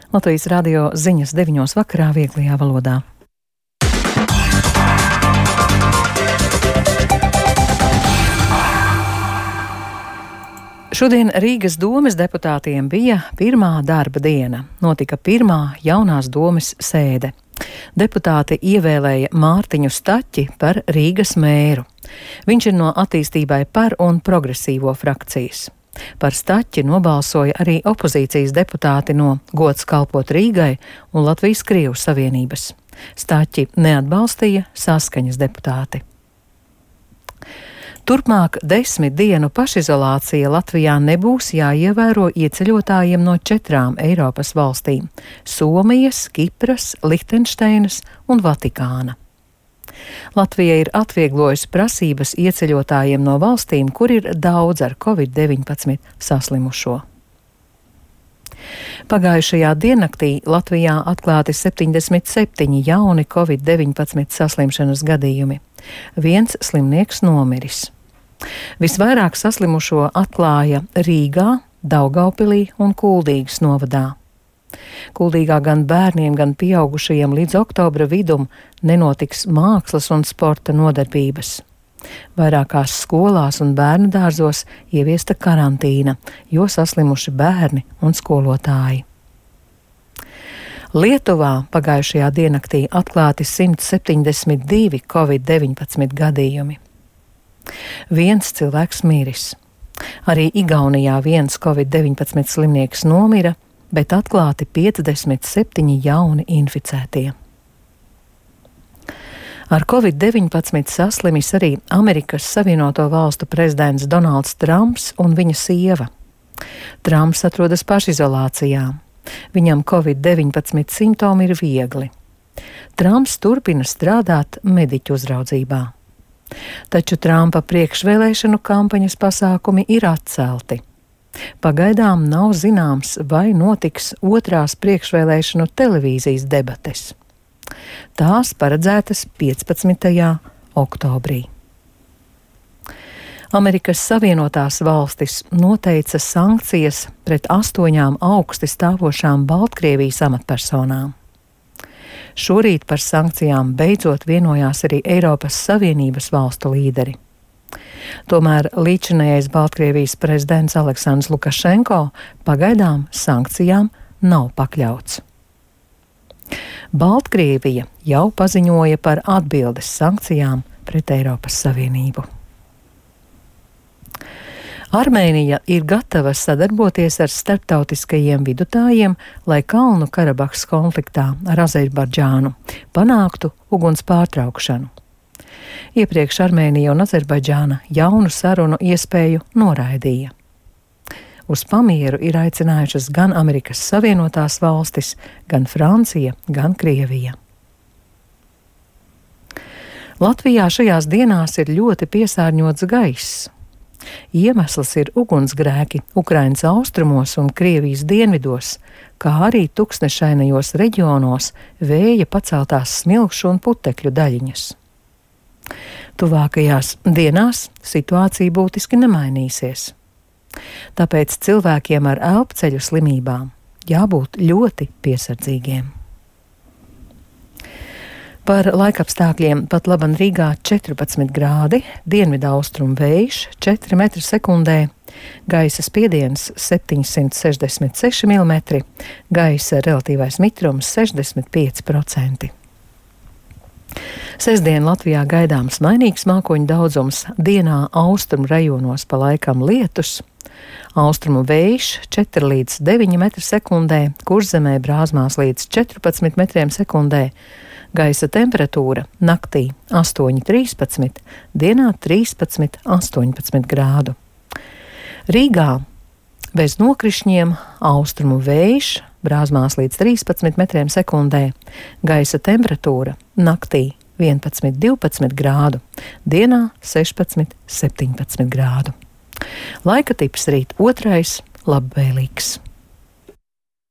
Latvijas radio ziņas 9 vakarā vieglajā valodā. Šodien Rīgas domes deputātiem bija pirmā darba diena. Notika pirmā jaunās domes sēde. Deputāti ievēlēja Mārtiņu Staķi par Rīgas mēru. Viņš ir no Attīstībai par un Progresīvo frakcijas. Par Staķi nobalsoja arī opozīcijas deputāti no Gods kalpot Rīgai un Latvijas Krievu savienības. Staķi neatbalstīja Saskaņas deputāti. Turpmāk 10 dienu pašizolācija Latvijā nebūs jāievēro ieceļotājiem no 4 Eiropas valstīm - Somijas, Kipras, Lihtenšteinas un Vatikāna. Latvija ir atvieglojusi prasības ieceļotājiem no valstīm, kur ir daudz ar Covid-19 saslimušo. Pagājušajā diennaktī Latvijā atklāti 77 jauni Covid-19 saslimšanas gadījumi. Viens slimnieks nomiris. Visvairāk saslimušo atklāja Rīgā, Daugavpilī un Kuldīgas novadā. Kuldīgā gan bērniem, gan pieaugušajiem līdz oktobra vidum nenotiks mākslas un sporta nodarbības. Vairākās skolās un bērnu dārzos ieviesta karantīna, jo saslimuši bērni un skolotāji. Lietuvā pagājušajā diennaktī atklāti 172 Covid-19 gadījumi. Viens cilvēks miris. Arī Igaunijā viens Covid-19 slimnieks nomira, bet atklāti 57 jauni inficētie. Ar Covid-19 saslimis arī Amerikas Savienoto Valstu prezidents Donalds Trumps un viņa sieva. Trumps atrodas pašizolācijā. Viņam Covid-19 simptomi ir viegli. Trumps turpina strādāt mediķu uzraudzībā. Taču Trumpa priekšvēlēšanu kampaņas pasākumi ir atcelti. Pagaidām nav zināms, vai notiks otrās priekšvēlēšanu televīzijas debates. Tās paredzētas 15. oktobrī. Amerikas Savienotās valstis noteica sankcijas pret 8 augsti stāvošām Baltkrievijas amatpersonām. Šorīt par sankcijām beidzot vienojās arī Eiropas Savienības valstu līderi. Tomēr līdzinējais Baltkrievijas prezidents Aleksandrs Lukašenko pagaidām sankcijām nav pakļauts. Baltkrievija jau paziņoja par atbildes sankcijām pret Eiropas Savienību. Armēnija ir gatava sadarboties ar starptautiskajiem vidutājiem, lai Kalnu Karabahas konfliktā ar Azerbaidžānu panāktu uguns pārtraukšanu. Iepriekš Armēnija un Azerbaidžāna jaunu sarunu iespēju noraidīja. Uz pamieru ir aicinājušas gan Amerikas Savienotās valstis, gan Francija, gan Krievija. Latvijā šajās dienās ir ļoti piesārņots gaiss. Iemesls ir ugunsgrēki Ukrainas austrumos un Krievijas dienvidos, kā arī tuksnešainajos reģionos vēja paceltās smilkšu un putekļu daļiņas. Tuvākajās dienās situācija būtiski nemainīsies. Tāpēc cilvēkiem ar elpceļu slimībām jābūt ļoti piesardzīgiem. Par laikapstākļiem pat laban Rīgā 14 grādi, dienvidaustrumu vējš 4 metri sekundē, gaisa spiediens 766 mm, gaisa relatīvais mitrums 65%. Sestdien Latvijā gaidāms mainīgs mākoņu daudzums, dienā austrumu rajonos pa laikam lietus, austrumu vējš 4 līdz 9 metri sekundē, Kurzemē brāzmās līdz 14 metriem sekundē, gaisa temperatūra naktī 8–13, dienā 13–18 grādu. Rīgā bez nokrišņiem austrumu vējš, brāzmās līdz 13 metriem sekundē, gaisa temperatūra naktī 11–12 grādu, dienā 16–17 grādu. Laika tips rīt 2. labvēlīgs.